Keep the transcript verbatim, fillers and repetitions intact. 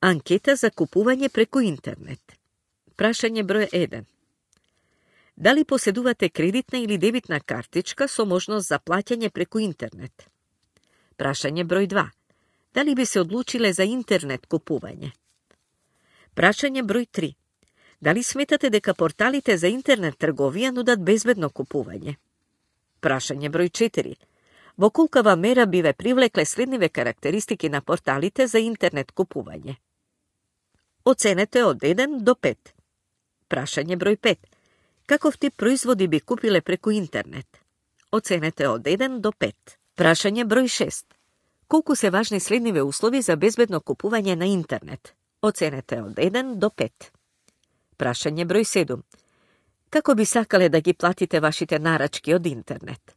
Анкета за купување преку интернет. Прашање број еден. Дали поседувате кредитна или дебитна картичка со можност за плаќање преку интернет? Прашање број два. Дали би се одлучиле за интернет купување? Прашање број три. Дали сметате дека порталите за интернет трговија нудат безбедно купување? Прашање број четири. Во колкава мера би ве привлекле следниве карактеристики на порталите за интернет купување? Оценете од еден до пет. Прашање број пет. Каков тип производи би купиле преку интернет? Оценете од еден до пет. Прашање број шест. Колку се важни следниве услови за безбедно купување на интернет? Оценете од еден до пет. Прашање број седум. Како би сакале да ги платите вашите нарачки од интернет?